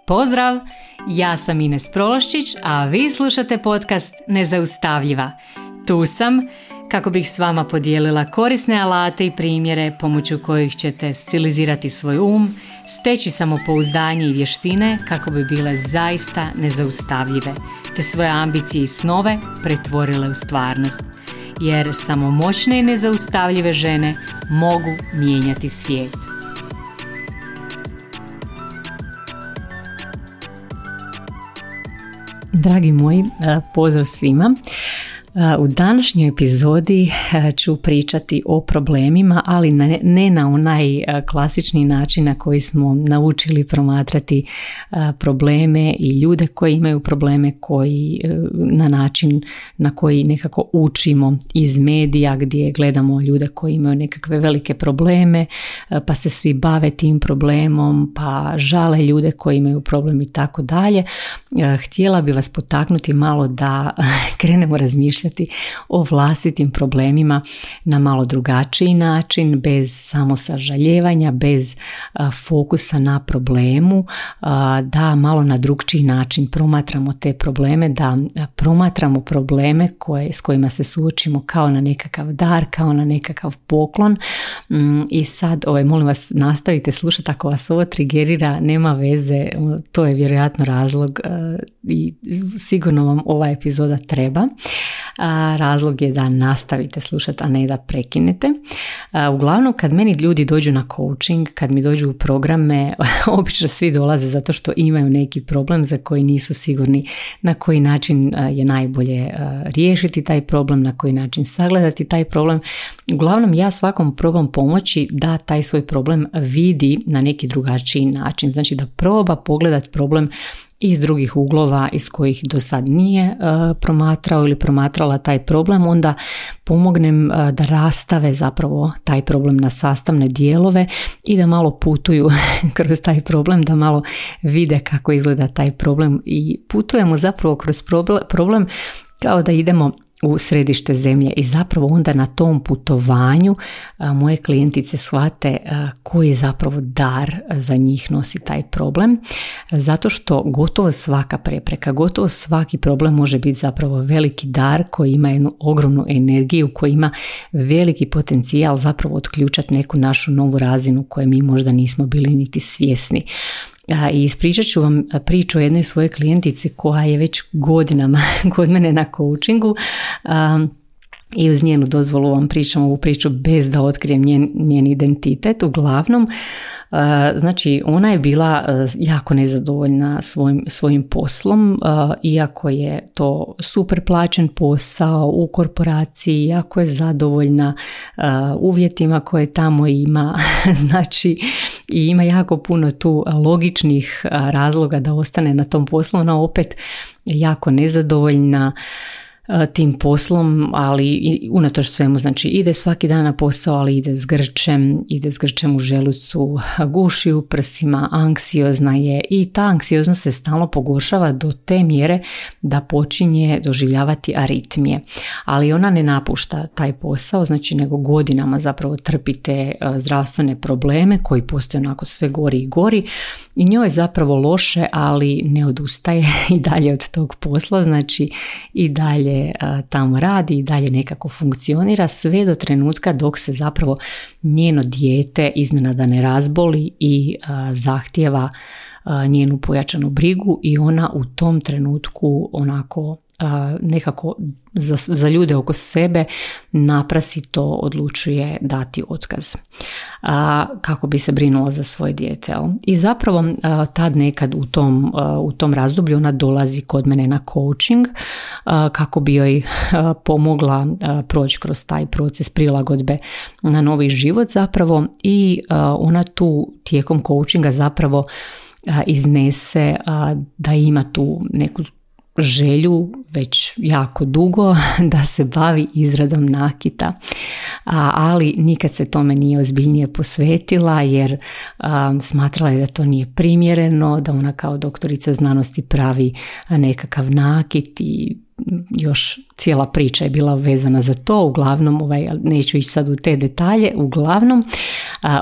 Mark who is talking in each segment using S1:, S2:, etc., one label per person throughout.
S1: Pozdrav! Ja sam Ines Prološčić, a vi slušate podcast Nezaustavljiva. Tu sam kako bih s vama podijelila korisne alate i primjere pomoću kojih ćete stilizirati svoj steći samopouzdanje i vještine kako bi bile zaista nezaustavljive, te svoje ambicije i snove pretvorile u stvarnost. Jer samo moćne i nezaustavljive žene mogu mijenjati svijet. Dragi moji, pozdrav svima. U današnjoj epizodi ću pričati o problemima, ali ne na onaj klasični način na koji smo naučili promatrati probleme i ljude koji imaju probleme, koji na način na koji nekako učimo iz medija, gdje gledamo ljude koji imaju nekakve velike probleme, pa se svi bave tim problemom, pa žale ljude koji imaju problem i tako dalje. Htjela bi vas potaknuti malo da krenemo razmišljati o vlastitim problemima na malo drugačiji način, bez samosažaljevanja, bez fokusa na problemu, da malo na drugčiji način promatramo te probleme, da promatramo probleme s kojima se suočimo kao na nekakav dar, kao na nekakav poklon. I sad, molim vas, nastavite slušati, ako vas ovo trigerira, nema veze, to je vjerojatno razlog i sigurno vam ova epizoda treba. Razlog je da nastavite slušati, a ne da prekinete. Uglavnom, kad meni ljudi dođu na coaching, kad mi dođu u programe, obično svi dolaze zato što imaju neki problem za koji nisu sigurni na koji način je najbolje riješiti taj problem, na koji način sagledati taj problem. Uglavnom, ja svakom probam pomoći da taj svoj problem vidi na neki drugačiji način. Znači da proba pogledati problem iz drugih uglova iz kojih do sad nije promatrao ili promatrala taj problem, onda pomognem da rastave zapravo taj problem na sastavne dijelove i da malo putuju kroz taj problem, da malo vide kako izgleda taj problem i putujemo zapravo kroz problem kao da idemo u središte zemlje i zapravo onda na tom putovanju moje klijentice shvate koji zapravo dar za njih nosi taj problem, zato što gotovo svaka prepreka, gotovo svaki problem može biti zapravo veliki dar koji ima jednu ogromnu energiju, koji ima veliki potencijal zapravo otključati neku našu novu razinu koju mi možda nismo bili niti svjesni. I ispričat ću vam priču o jednoj svojoj klijentici koja je već godinama kod mene na coachingu i uz njenu dozvolu vam pričam ovu priču bez da otkrijem njen identitet. Uglavnom, znači ona je bila jako nezadovoljna svojim poslom, iako je to super plaćen posao u korporaciji, iako je zadovoljna uvjetima koje tamo ima, znači i ima jako puno tu logičnih razloga da ostane na tom poslu. Ona opet jako nezadovoljna tim poslom, ali i unatoč svemu, znači ide svaki dan na posao, ali ide s grčem u želucu, guši u prsima, anksiozna je i ta anksioznost se stalno pogoršava do te mjere da počinje doživljavati aritmije. Ali ona ne napušta taj posao, znači nego godinama zapravo trpite zdravstvene probleme koji postoje onako sve gori i gori i njoj je zapravo loše, ali ne odustaje i dalje od tog posla, znači i dalje tamo radi i dalje nekako funkcionira sve do trenutka dok se zapravo njeno dijete iznenada ne razboli i zahtijeva njenu pojačanu brigu i ona u tom trenutku onako nekako za ljude oko sebe naprasito odlučuje dati otkaz kako bi se brinula za svoje dijete. I zapravo tad nekad u tom razdoblju ona dolazi kod mene na coaching kako bi joj pomogla proći kroz taj proces prilagodbe na novi život zapravo i ona tu tijekom coachinga zapravo iznese da ima tu neku želju već jako dugo da se bavi izradom nakita, ali nikad se tome nije ozbiljnije posvetila jer smatrala je da to nije primjereno, da ona kao doktorica znanosti pravi nekakav nakit i još cijela priča je bila vezana za to. Uglavnom, neću ići sad u te detalje, uglavnom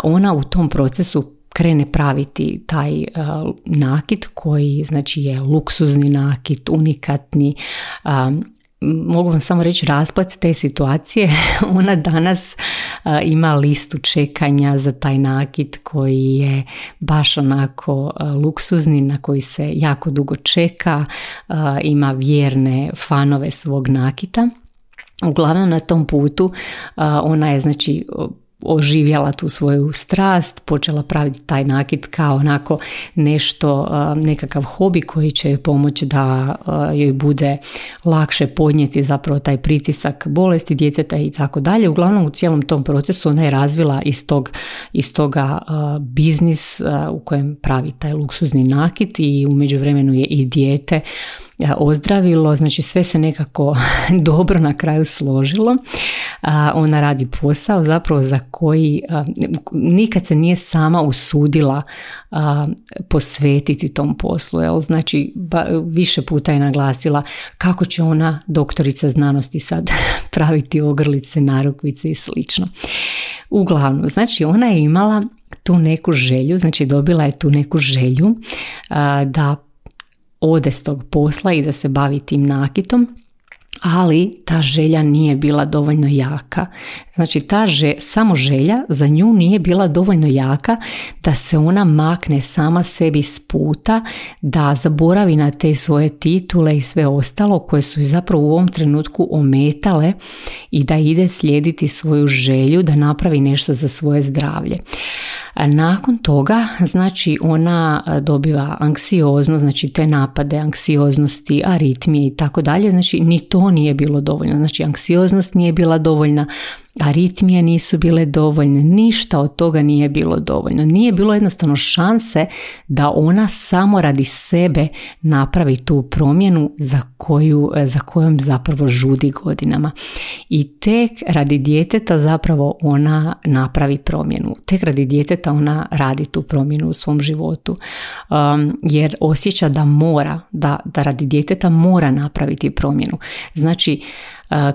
S1: ona u tom procesu krene praviti taj nakit koji znači je luksuzni nakit, unikatni. Mogu vam samo reći rasplet te situacije. Ona danas ima listu čekanja za taj nakit koji je baš onako luksuzni, na koji se jako dugo čeka, ima vjerne fanove svog nakita. Uglavnom na tom putu ona je znači oživjela tu svoju strast, počela praviti taj nakit kao onako nešto, nekakav hobi koji će joj pomoći da joj bude lakše podnijeti zapravo taj pritisak bolesti djeteta i tako dalje. Uglavnom u cijelom tom procesu ona je razvila iz toga biznis u kojem pravi taj luksuzni nakit i u međuvremenu je i dijete ozdravilo, znači sve se nekako dobro na kraju složilo. Ona radi posao zapravo za koji nikad se nije sama usudila posvetiti tom poslu. Znači više puta je naglasila kako će ona, doktorica znanosti, sad praviti ogrlice, narukvice i slično. Uglavnom, znači ona je imala tu neku želju, znači dobila je tu neku želju da ode s tog posla i da se bavi tim nakitom, ali ta želja nije bila dovoljno jaka. Znači samo želja za nju nije bila dovoljno jaka da se ona makne sama sebi s puta, da zaboravi na te svoje titule i sve ostalo koje su zapravo u ovom trenutku ometale i da ide slijediti svoju želju da napravi nešto za svoje zdravlje. Nakon toga, znači ona dobiva anksioznost, znači te napade anksioznosti, aritmije i tako dalje, znači ni to nije bilo dovoljno, znači anksioznost nije bila dovoljna, aritmije nisu bile dovoljne, ništa od toga nije bilo dovoljno. Nije bilo jednostavno šanse da ona samo radi sebe napravi tu promjenu za kojom zapravo žudi godinama. I tek radi djeteta zapravo ona napravi promjenu. Tek radi djeteta ona radi tu promjenu u svom životu. Jer osjeća da mora, da radi djeteta mora napraviti promjenu. Znači,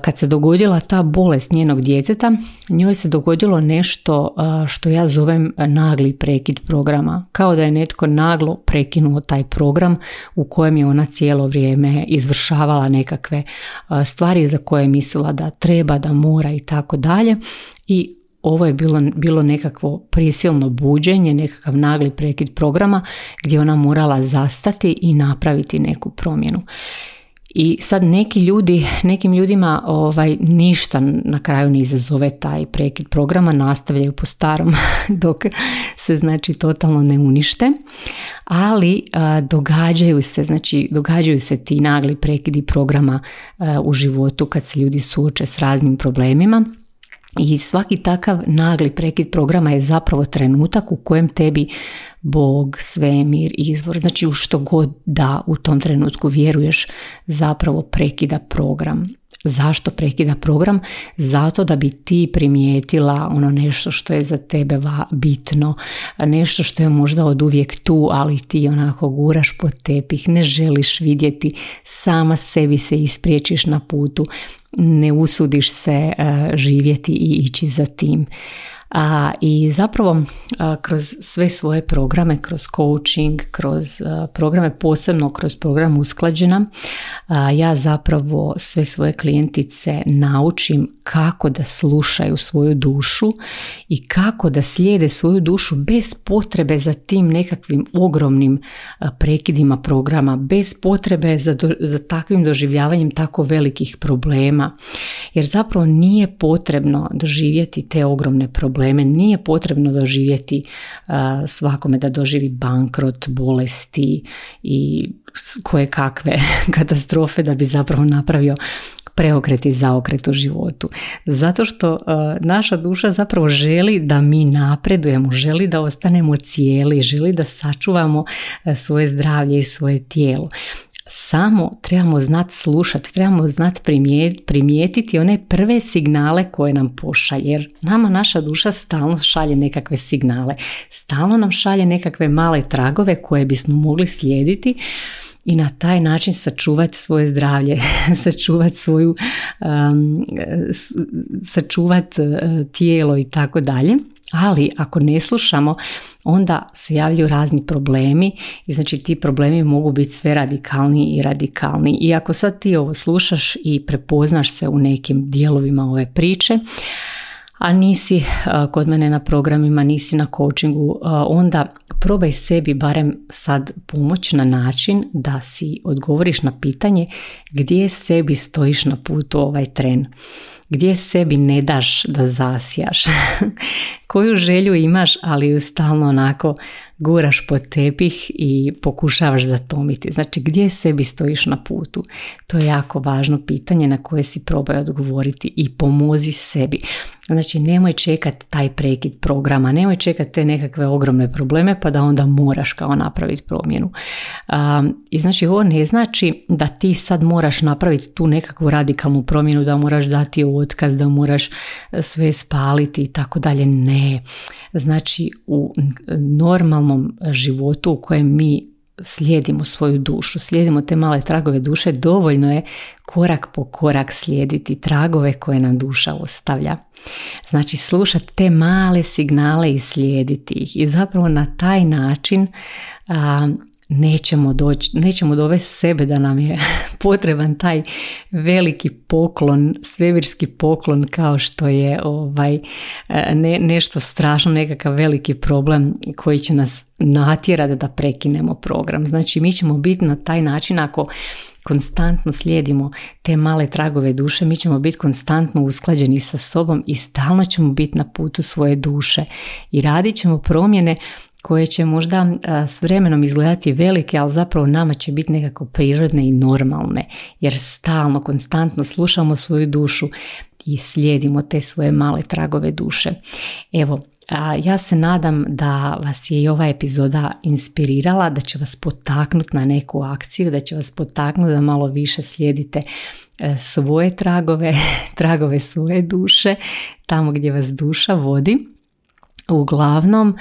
S1: kad se dogodila ta bolest njenog djeteta, njoj se dogodilo nešto što ja zovem nagli prekid programa. Kao da je netko naglo prekinuo taj program u kojem je ona cijelo vrijeme izvršavala nekakve stvari za koje je mislila da treba, da mora i tako dalje. I ovo je bilo nekakvo prisilno buđenje, nekakav nagli prekid programa gdje ona morala zastati i napraviti neku promjenu. I sad nekim ljudima ništa na kraju ne izazove taj prekid programa, nastavljaju po starom dok se znači totalno ne unište, ali događaju se ti nagli prekidi programa u životu kad se ljudi suoče s raznim problemima. I svaki takav nagli prekid programa je zapravo trenutak u kojem tebi Bog, svemir, izvor, znači u što god da u tom trenutku vjeruješ, zapravo prekida program. Zašto prekida program? Zato da bi ti primijetila ono nešto što je za tebe bitno, nešto što je možda od uvijek tu, ali ti onako guraš pod tepih, ne želiš vidjeti, sama sebi se ispriječiš na putu, ne usudiš se živjeti i ići za tim. I zapravo kroz sve svoje programe, kroz coaching, kroz programe, posebno kroz program Usklađena, ja zapravo sve svoje klijentice naučim kako da slušaju svoju dušu i kako da slijede svoju dušu bez potrebe za tim nekakvim ogromnim prekidima programa, bez potrebe za takvim doživljavanjem tako velikih problema. Jer zapravo nije potrebno doživjeti te ogromne probleme, nije potrebno doživjeti svakome da doživi bankrot, bolesti i koje kakve katastrofe da bi zapravo napravio preokret i zaokret u životu. Zato što naša duša zapravo želi da mi napredujemo, želi da ostanemo cijeli, želi da sačuvamo svoje zdravlje i svoje tijelo. Samo trebamo znati slušati, trebamo znati primijetiti one prve signale koje nam pošalje, jer nama naša duša stalno šalje nekakve signale, stalno nam šalje nekakve male tragove koje bismo mogli slijediti i na taj način sačuvati svoje zdravlje, sačuvati tijelo i tako dalje. Ali ako ne slušamo, onda se javljaju razni problemi i znači ti problemi mogu biti sve radikalniji i radikalniji. I ako sad ti ovo slušaš i prepoznaš se u nekim dijelovima ove priče, a nisi kod mene na programima, nisi na coachingu, onda probaj sebi barem sad pomoći na način da si odgovoriš na pitanje gdje sebi stojiš na putu ovaj tren. Gdje sebi ne daš da zasijaš, koju želju imaš, ali ju stalno onako guraš pod tepih i pokušavaš zatomiti. Znači, gdje sebi stojiš na putu? To je jako važno pitanje na koje si probaj odgovoriti i pomozi sebi. Znači, nemoj čekati taj prekid programa, nemoj čekati te nekakve ogromne probleme pa da onda moraš kao napraviti promjenu. I znači, ovo ne znači da ti sad moraš napraviti tu nekakvu radikalnu promjenu, da moraš dati otkaz, da moraš sve spaliti i tako dalje. Ne. Znači, u normalnom životu u kojem mi slijedimo svoju dušu, slijedimo te male tragove duše, dovoljno je korak po korak slijediti tragove koje nam duša ostavlja. Znači, slušati te male signale i slijediti ih. I zapravo na taj način nećemo dovesti sebe da nam je potreban taj veliki poklon, svemirski poklon, kao što je nešto strašno, nekakav veliki problem koji će nas natjerati da prekinemo program. Znači, mi ćemo biti na taj način, ako konstantno slijedimo te male tragove duše, mi ćemo biti konstantno usklađeni sa sobom i stalno ćemo biti na putu svoje duše i radit ćemo promjene koje će možda s vremenom izgledati velike, ali zapravo nama će biti nekako prirodne i normalne, jer stalno, konstantno slušamo svoju dušu i slijedimo te svoje male tragove duše. Evo, ja se nadam da vas je i ova epizoda inspirirala, da će vas potaknuti na neku akciju, da će vas potaknuti da malo više slijedite svoje tragove svoje duše, tamo gdje vas duša vodi. Uglavnom,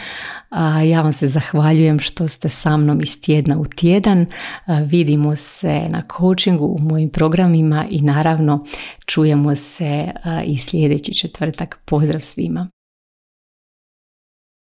S1: ja vam se zahvaljujem što ste sa mnom iz tjedna u tjedan. Vidimo se na coachingu, u mojim programima i naravno čujemo se i sljedeći četvrtak. Pozdrav svima!